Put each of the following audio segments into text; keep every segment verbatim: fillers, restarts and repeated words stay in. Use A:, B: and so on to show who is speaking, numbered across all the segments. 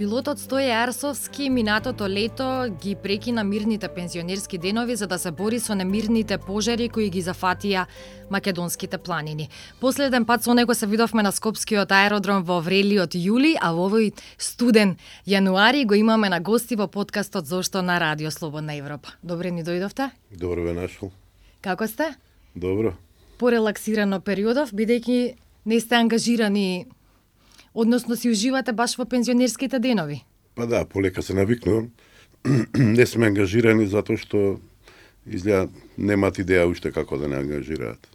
A: Пилотот Стоје Ерсовски минатото лето ги прекина мирните пензионерски денови за да се бори со немирните пожари кои ги зафатија македонските планини. Последен пат со него се видовме на Скопскиот аеродром во врелиот јули, а во овој студен јануари го имаме на гости во подкастот Зошто на Радио Слободна Европа. Добре ни дојдовте?
B: Добро ве нашол.
A: Како сте?
B: Добро.
A: Порелаксирано периодов, бидејќи не сте ангажирани, односно си уживате баш во пензионерските денови.
B: Па да, полека се навикнувам. Не сме ангажирани затоа што изгледа немаат идеја уште како да не ангажираат.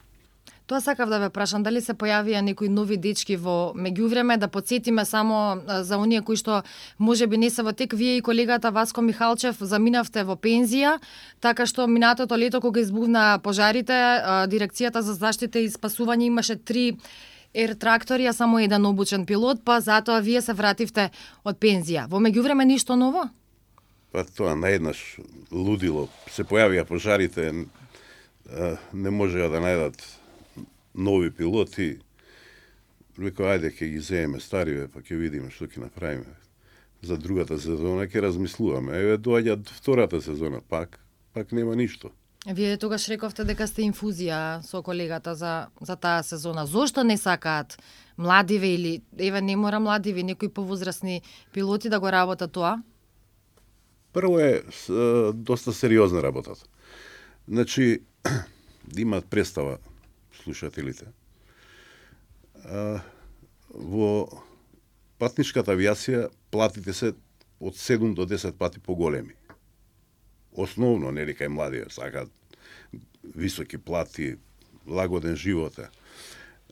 A: Тоа сакав да ве прашам, дали се појавија некои нови дечки во меѓувреме, да подсетиме само за оние кои што можеби не се во тек, вие и колегата Васко Михалчев заминавте во пензија, така што минатото лето кога избувна пожарите, дирекцијата за заштита и спасување имаше три ер трактори, а само еден обучен пилот, па затоа вие се вративте од пензија. Во меѓувреме ништо ново?
B: Па тоа наеднаш лудило. Се појавија пожарите, не можеа да најдат нови пилоти. Рекоа, ајде ќе ги земеме стариве, па ќе видиме што ќе направиме. За другата сезона ќе размислуваме. Еве доаѓа втората сезона пак, пак нема ништо.
A: Вие тогаш рековте дека сте инфузија со колегата за, за таа сезона. Зошто не сакаат младиве или, еве не мора младиве, некои повозрасни пилоти да го работат тоа?
B: Прво е с, доста сериозна работата. Значи, да имаат представа слушателите. А, во патничката авиација платите се од седум до десет пати поголеми. Основно, нели кај младија, сакаат високи плати, лагоден живот.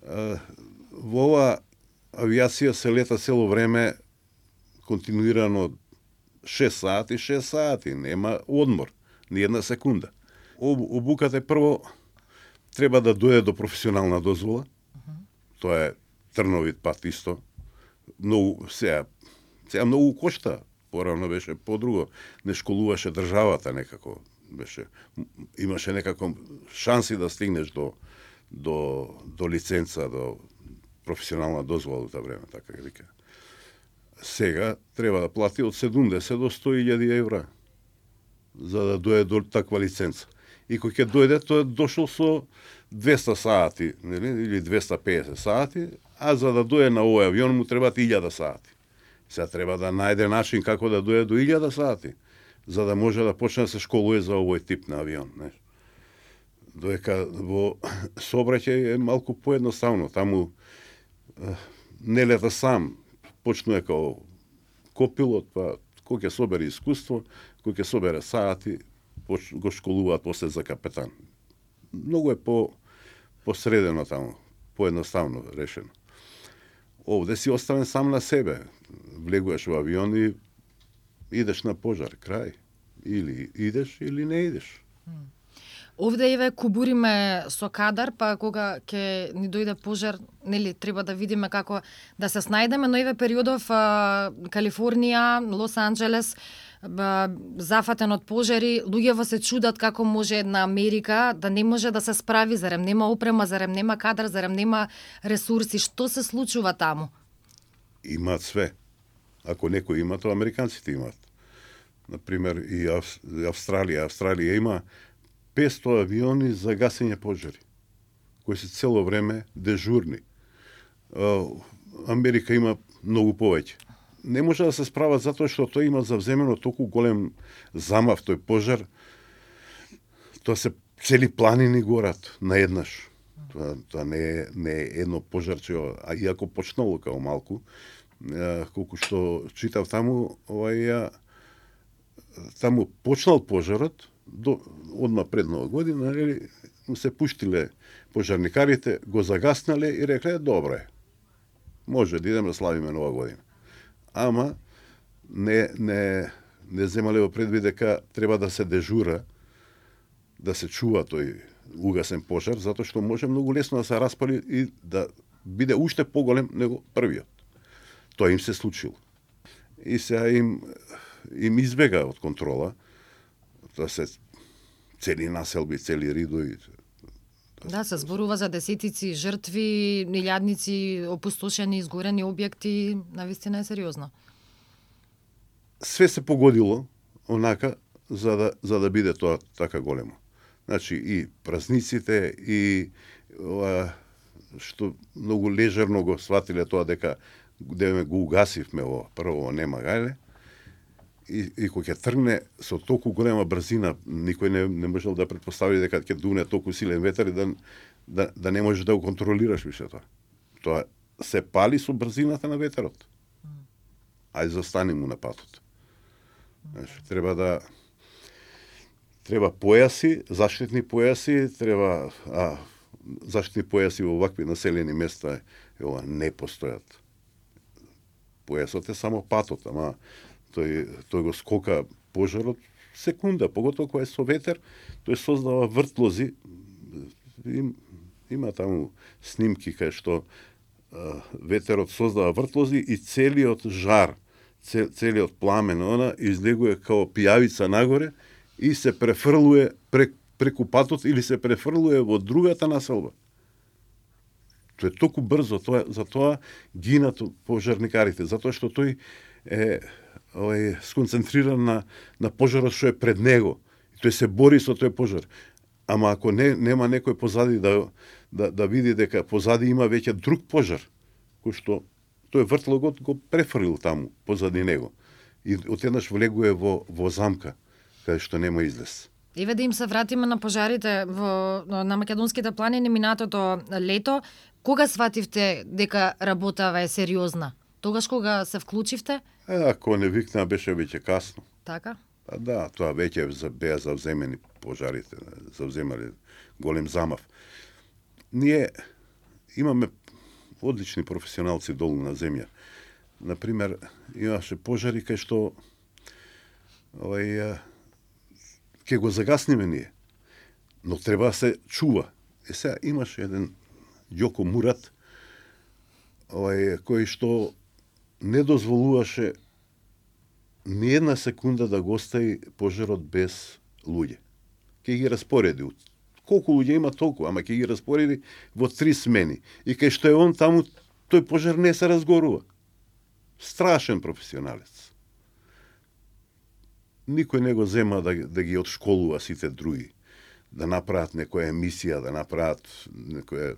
B: Во ова авиација се лета цело време континуирано шест сати, шест сати, нема одмор, ни една секунда. Обуката прво треба да дојде до професионална дозвола. Uh-huh. Тоа е трновит пат исто. Многу сега, сега многу кошта. Порано беше подруго, не школуваше државата некако, беше имаше некако шанси да стигнеш до до до лиценца, до професионална дозвола во тоа време, така вика. Сега треба да плати од седумдесет до сто илјади евра за да дојде до таква лиценца. И кој ќе дојде, тој е дошол со двеста сати, нели, или двеста педесет сати, а за да дојде на овој авион му требаат илјада сати. Сега треба да најде начин како да дојде до илјада сати, за да може да почне да се школува за овој тип на авион. Не? Додека во сообраќај е малку поедноставно. Таму не лета сам, почнува како копилот, па кој ќе собере искуство, кој ќе собере сати, го школуваат после за капетан. Многу е по посредено таму, поедноставно решено. Овде си оставен сам на себе. Влегуваш во авион и идеш на пожар, крај. Или идеш, или не идеш.
A: Овде еве кубуриме со кадар, па кога ќе ни дојде пожар, нели треба да видиме како да се снајдеме, но еве периодов а, Калифорнија, Лос Анџелес, зафатен од пожари, луѓето се чудат како може една Америка да не може да се справи, зарем нема опрема, зарем нема кадар, зарем нема ресурси. Што се случува таму?
B: Имаат све. Ако некој има, тоа американците имаат. Например, и Австралија. Австралија има петсто авиони за гасење пожари, кои се цело време дежурни. Америка има многу повеќе. Не може да се справат затоа што тој има завземено толку голем замав тој пожар. Тоа се цели планини горат наеднаш. Тоа, тоа не е не е едно пожарче, а иако почнало као малку, колку што читав таму, овај таму почнал пожарот до одма пред нова година, нели, му се пуштиле пожарникарите, го загаснале и рекле добре. Може да идеме да славиме нова година. Ама не не не земале во предвид дека треба да се дежура, да се чува тој угасен пожар, затоа што може многу лесно да се распали и да биде уште поголем него првиот. Тоа им се случило. И сега им им избега од контрола. Тоа се цели населби, цели ридови.
A: Да, се зборува за десетици жртви, илјадници опустошени, изгорени објекти, навистина е сериозно.
B: све се погодило онака за да за да биде тоа така големо. Значи и празниците и ова, што многу лежерно го сватиле тоа дека деве го угасивме ово, прво нема гајле. И, и кога ќе тргне со толку голема брзина, никој не, не можел да претпостави дека ќе дуне толку силен ветер и да, да, да не можеш да го контролираш више тоа. Тоа се пали со брзината на ветерот. Ајде застани му на патот. Значи, треба да треба појаси, заштитни појаси, треба а, заштитни појаси во вакви населени места ова не постојат. Појасот е само патот, ама тој тој го скока пожарот секунда, поготово кога е со ветер, тој создава вртлози. Им, има таму снимки кај што а, ветерот создава вртлози и целиот жар, целиот пламен она излегува као пијавица нагоре и се префрлува прек, преку патот или се префрлува во другата населба. Тоа е толку брзо, тоа, затоа гинат пожарникарите, затоа што тој е овај сконцентриран на, на пожарот што е пред него. И тој се бори со тој пожар. Ама ако не, нема некој позади да, да, да види дека позади има веќе друг пожар, кој што тој вртлогот го префрлил таму, позади него. И отеднаш влегува во, во замка, каде што нема излез.
A: Еве да им се вратиме на пожарите во, на македонските планини минатото лето. Кога свативте дека работава е сериозна? Тогаш кога се вклучивте?
B: Е, ако не викна, беше веќе касно.
A: Така?
B: А да, тоа веќе беа завземени пожарите, завземале голем замав. Ние имаме одлични професионалци долу на земја. Например, имаше пожари кај што овај ќе го загасниме ние. Но треба да се чува. Е сега имаше еден Јоко Мурат, овај кој што не дозволуваше ни една секунда да го остави пожарот без луѓе. Ке ги распореди. Колку луѓе има толку, ама ке ги распореди во три смени. И кај што е он таму, тој пожар не се разгорува. Страшен професионалец. Никој не го зема да, да ги отшколува сите други. Да направат некоја емисија, да направат некоја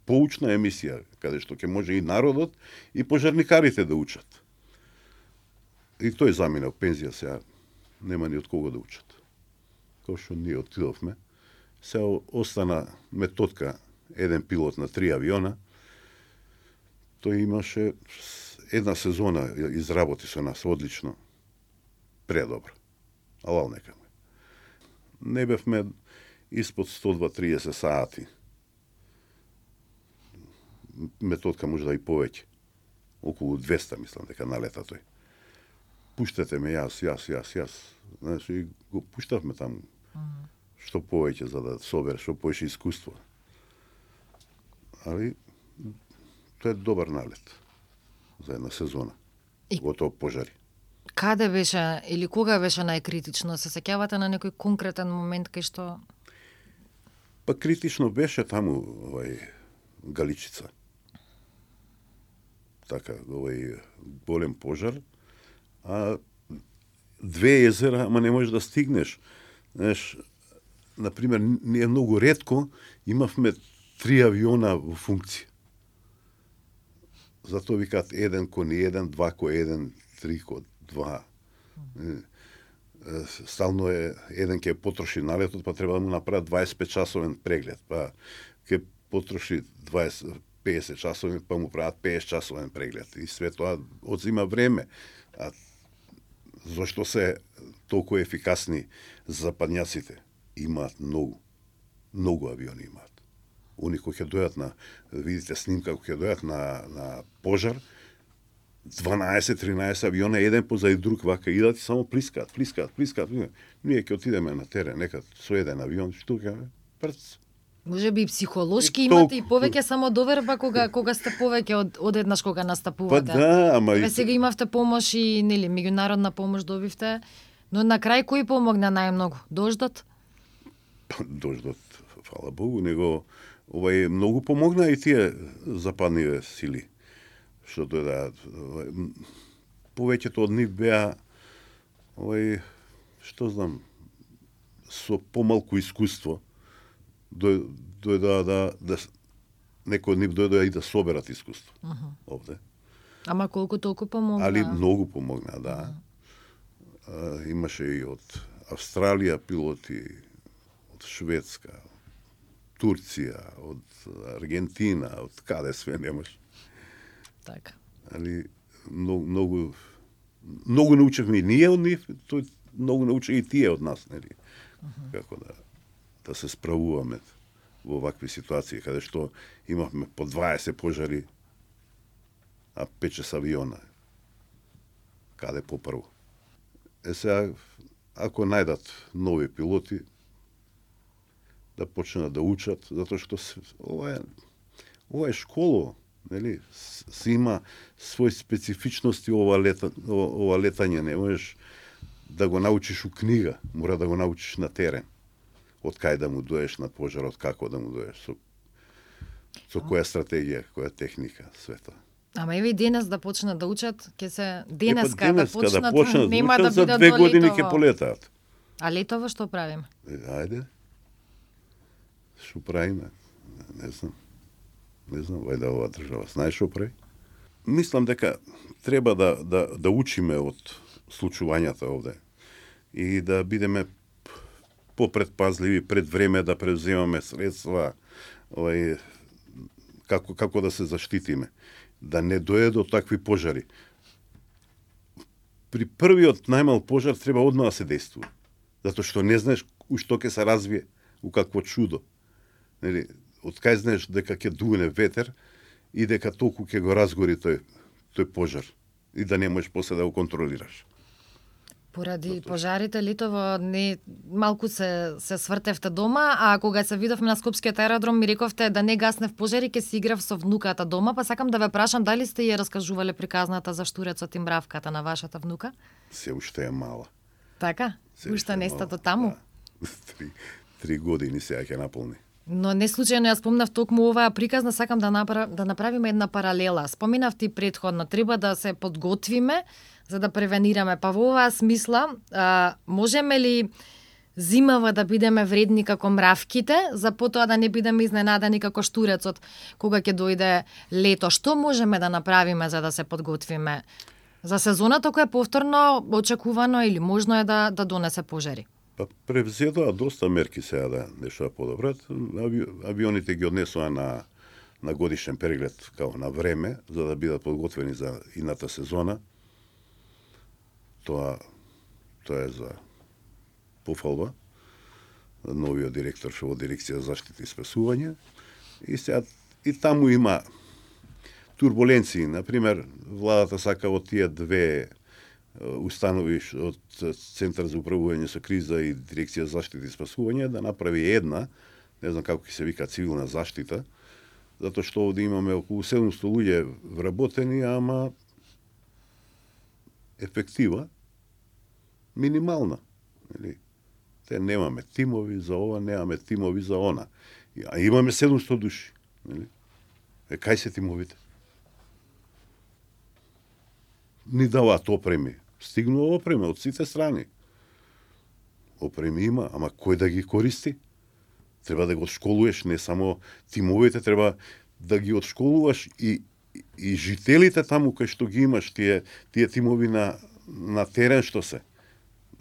B: поучна емисија, каде што ќе може и народот и пожарникарите да учат. И тој замина в пензија сега, нема ни од кого да учат. Као што ние отидовме, сега остана методка, еден пилот на три авиона, тој имаше една сезона, изработи со нас одлично, предобро. Алал нека ме. Не бевме испод сто два триесет сати. Методка може да и повеќе. Околу двеста, мислам, дека налета тој. Пуштете ме јас, јас, јас, јас. Значи, го пуштавме таму. Mm-hmm. Што повеќе за да собере, што повеќе искуство. Али, тоа е добар налет за една сезона. И готово пожари.
A: Каде беше или кога беше најкритично? Се сеќавате на некој конкретен момент кај што?
B: Па критично беше таму овај Галичица. Така, овај голем пожар, а две езера, ама не можеш да стигнеш. Знаеш, например, ние многу ретко имавме три авиона во функција. Затоа викаат еден кон еден, два кон еден, три кон два. Стално е еден ќе потроши налетот, па треба да му направат дваесет и пет часовен преглед, па ќе потроши дваесет песет часови, па му прават песет часовен преглед. И све тоа одзима време. А зашто се толку ефикасни западњаците? Имаат многу. Многу авиони имаат. Они кои ќе дојат на, видите снимка, кои ќе дојат на, на пожар, дванаесет тринаесет авиона, еден позади друг, вака идат и само плискаат, плискаат, плискаат. Ние ќе отидеме на терен, некад со еден авион, што ќе прц.
A: Може би психолошки имате и повеќе само доверба кога кога сте повеќе од одеднаш кога настапувате.
B: Па да, ама
A: Еве сега имавте помош и нели меѓународна помош добивте, но на крај кој помогна најмногу? Дождот?
B: Дождот, фала Богу, него овај многу помогна и тие западниве сили што дојдат. повеќето од нив беа овај, што знам, со помалку искуство, дојдоа да, да, да некој од нив дојдоа и да соберат искуство uh -huh. овде.
A: Ама колку толку помогна?
B: Али многу помогна, да. Uh -huh. а, имаше и од Австралија пилоти, од Шведска, Турција, од Аргентина, од каде све немаш.
A: Така.
B: Али многу многу многу научевме и ние од нив, тој многу научи и тие од нас, нели? Uh -huh. Како да да се справуваме во вакви ситуации, каде што имавме по дваесет пожари, а пет-шест авиона. Каде попрво? Е сега, ако најдат нови пилоти, да почнат да учат, затоа што ова е, ова е школа, нели? Си има своји специфичности ова лета, ова летање, не можеш да го научиш у книга, мора да го научиш на терен. Од кај да му доеш на пожарот, како да му доеш, со, со која стратегија, која техника, све тоа.
A: Ама еве и денес да почнат да учат, ќе се денеска,
B: е, денеска
A: да почнат,
B: да почнат
A: нема
B: да,
A: да
B: учат,
A: бидат
B: за две
A: до
B: години
A: летово.
B: ќе полетаат.
A: А летово што правиме?
B: Е, ајде. Што правиме? Не знам. Не знам, вајде ова држава знаеш што прави? Мислам дека треба да да да учиме од случувањата овде и да бидеме попредпазливи пред време, да превземаме средства, овај како како да се заштитиме, да не дојде до такви пожари. При првиот најмал пожар треба одма да се действува, затоа што не знаеш у што ќе се развие, у какво чудо. Нели, од кај знаеш дека ќе дуне ветер и дека толку ќе го разгори тој тој пожар и да не можеш после да го контролираш.
A: Поради пожарите летово не малку се се свртевте дома, а кога се видовме на Скопскиот аеродром ми рековте да не гаснев пожари, ќе си играв со внуката дома, па сакам да ве прашам дали сте ја раскажувале приказната за штурецот и мравката на вашата внука?
B: Се уште е мала.
A: Така?
B: Се
A: Уште не сте
B: мала,
A: до таму?
B: Да. Три, три години сега ќе наполни.
A: Но не случајно ја спомнав токму оваа приказна, сакам да направ, да направиме една паралела. Споменав ти претходно, треба да се подготвиме за да превенираме. Па во оваа смисла, а, можеме ли зимава да бидеме вредни како мравките, за потоа да не бидеме изненадани како штурецот кога ќе дојде лето? Што можеме да направиме за да се подготвиме за сезоната која е повторно очекувано или можно е да да донесе пожари?
B: Па превзедоа доста мерки сега да нешто да подобрат. Ави, авионите ги однесоа на на годишен преглед као на време за да бидат подготвени за ината сезона. Тоа тоа е за пофалба. Новиот директор што во дирекција за заштита и спасување. И сега и таму има турбуленции, на пример, владата сака од тие две установи од Центар за управување со криза и Дирекција за заштита и спасување да направи една, не знам како ќе се вика, цивилна заштита, затоа што овде имаме околу седумсто луѓе вработени, ама ефектива минимална. Или, те немаме тимови за ова, немаме тимови за она. А имаме седумсто души. Или? Е, кај се тимовите? Ни даваат опреми. Стигнува опрема од сите страни. Опреми има, ама кој да ги користи? Треба да го одшколуваш, не само тимовите, треба да ги одшколуваш и, и, и жителите таму кај што ги имаш, тие, тие тимови на, на терен што се.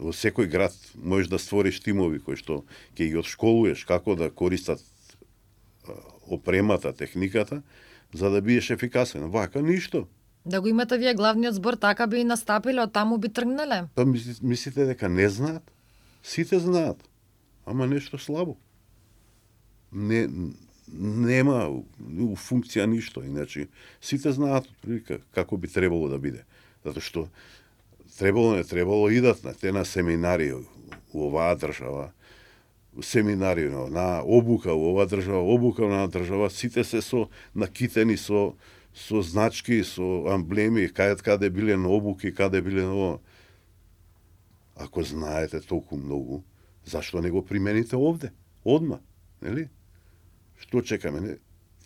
B: Во секој град можеш да створиш тимови кои што ќе ги одшколуваш како да користат опремата, техниката, за да бидеш ефикасен. Вака ништо.
A: Да го имате вие главниот збор, така би и настапиле, од таму би тргнале.
B: Па мислите дека не знаат? Сите знаат. Ама нешто слабо. Не, нема у функција ништо. Иначе, сите знаат прилика како би требало да биде. Затоа што требало, не требало, идат на те на семинари у оваа држава, семинари на обука у оваа држава, обука на држава, сите се со накитени со со значки, со амблеми, каде каде биле на обуки, каде биле на... Ако знаете толку многу, зашто не го примените овде? Одма, нели? Што чекаме? Не?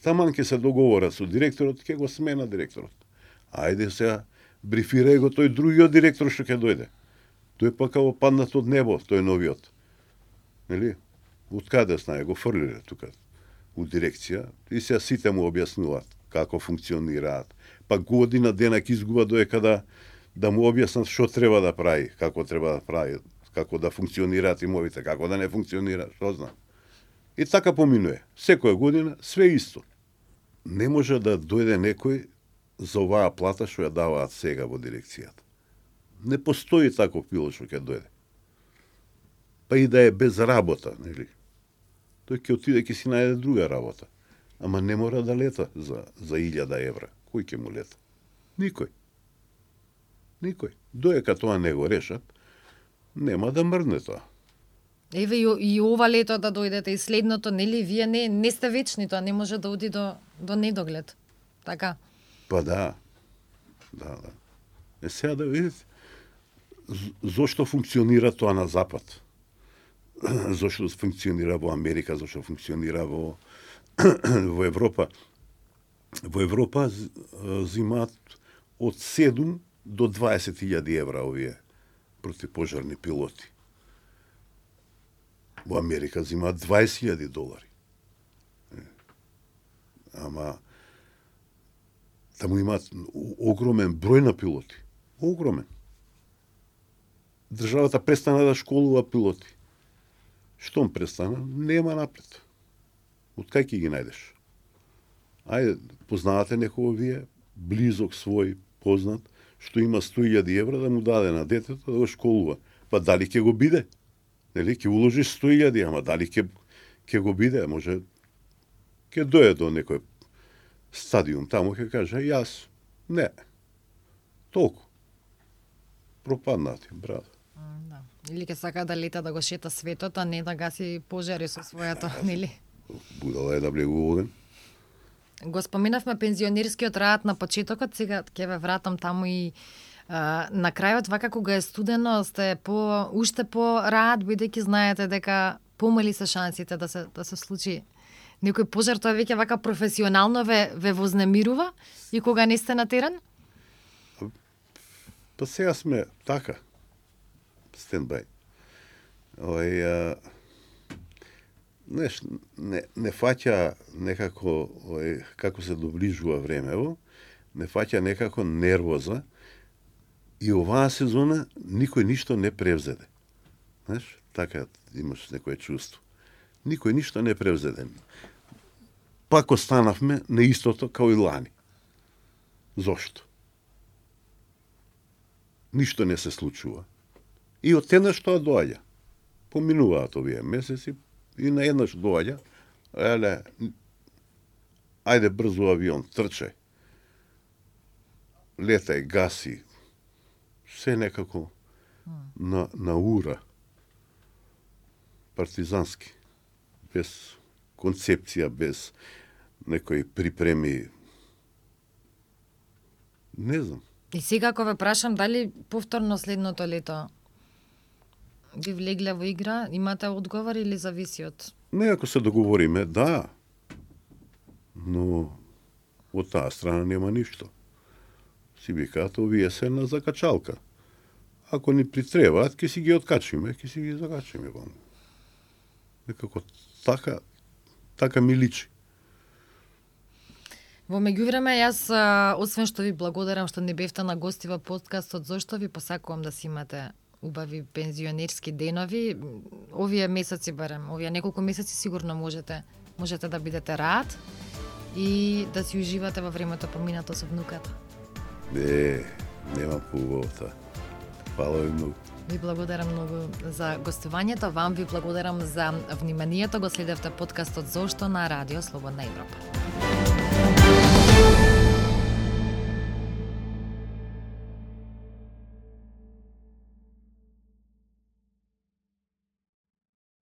B: Таман ќе се договорат со директорот, ќе го смена директорот. Ајде сега, брифирај го тој другиот директор што ќе дојде. Тој пак како паднат од небо, тој новиот. Нели? Од каде знае, го фрлиле тука у дирекција и се сите му објаснуваат како функционираат. Па година дена ќе изгуба доека да да му објаснат што треба да прави, како треба да прави, како да функционираат имовите, како да не функционира, што знам. И така поминува. Секоја година све исто. Не може да дојде некој за оваа плата што ја даваат сега во дирекцијата. Не постои таков пилот што ќе дојде. Па и да е без работа, нели? Тој ќе отиде ќе си најде друга работа. Ама не мора да лета за за илјада евра. Кој ќе му лета? Никој. Никој. Доека тоа не го решат, нема да мрдне тоа.
A: Еве и, и ова лето да дојдете и следното, нели, вие не не сте вечни, тоа не може да оди до до недоглед. Така.
B: Па да. Да, да. Е сега да видите зошто функционира тоа на запад. Зошто функционира во Америка, зошто функционира во во Европа. Во Европа зимаат од седум до дваесет илјади евра овие противпожарни пилоти. Во Америка зимаат дваесет илјади долари. Ама таму имаат огромен број на пилоти. Огромен. Државата престана да школува пилоти. Штом престана, нема напред. Од кај ќе ги најдеш? Ајде, познавате некој вие, близок свој, познат, што има сто илјади евра да му даде на детето да го школува. Па дали ќе го биде? Нели, ќе уложиш сто илјади, ама дали ќе ќе го биде? Може, ќе дојде до некој стадиум, таму ќе каже, јас, не. Толку. Пропаднати, брат.
A: Да. Или ќе сака да лета да го шета светот, а не да гаси пожари со својато, нели?
B: Будала е да влегува оган.
A: Го споменавме пензионерскиот рад на почетокот, сега ќе ве вратам таму и а, на крајот, вака кога е студено, сте по уште по рад, бидејќи знаете дека помали се шансите да се да се случи некој пожар, тоа веќе вака професионално ве ве вознемирува и кога не сте на терен?
B: Па сега сме така. Стендбај. Ој, а, неш, не, не фаќа некако, ој, како се доближува времево, не фаќа некако нервоза и оваа сезона никој ништо не превзеде. Знаеш, така имаш некое чувство. Никој ништо не превзеде. Пак останавме на истото као и лани. Зошто? Ништо не се случува. И од еднаш тоа доаѓа. Поминуваат овие месеци и на еднаш доаѓа. Еле, ајде брзо авион, трчај. Летај, гаси. Се некако на, на ура. Партизански. Без концепција, без некои припреми. Не знам.
A: И сега ако ве прашам дали повторно следното лето би влегле во игра, имате одговор или зависи од?
B: Не, ако се договориме, да. Но од таа страна нема ништо. Си викаат, овие се на закачалка. Ако ни притребаат, ќе си ги откачиме, ќе си ги закачиме. Некако така, така ми личи.
A: Во меѓувреме, јас, освен што ви благодарам што не бевте на гости во подкастот, зошто ви посакувам да си имате убави пензионерски денови. Овие месеци барем, овие неколку месеци сигурно можете можете да бидете рад и да си уживате во времето поминато со внуката.
B: Не, нема поубавата. Фала ви многу.
A: Ви благодарам многу за гостувањето, вам ви благодарам за вниманието. Го следевте подкастот Зошто на Радио Слободна Европа.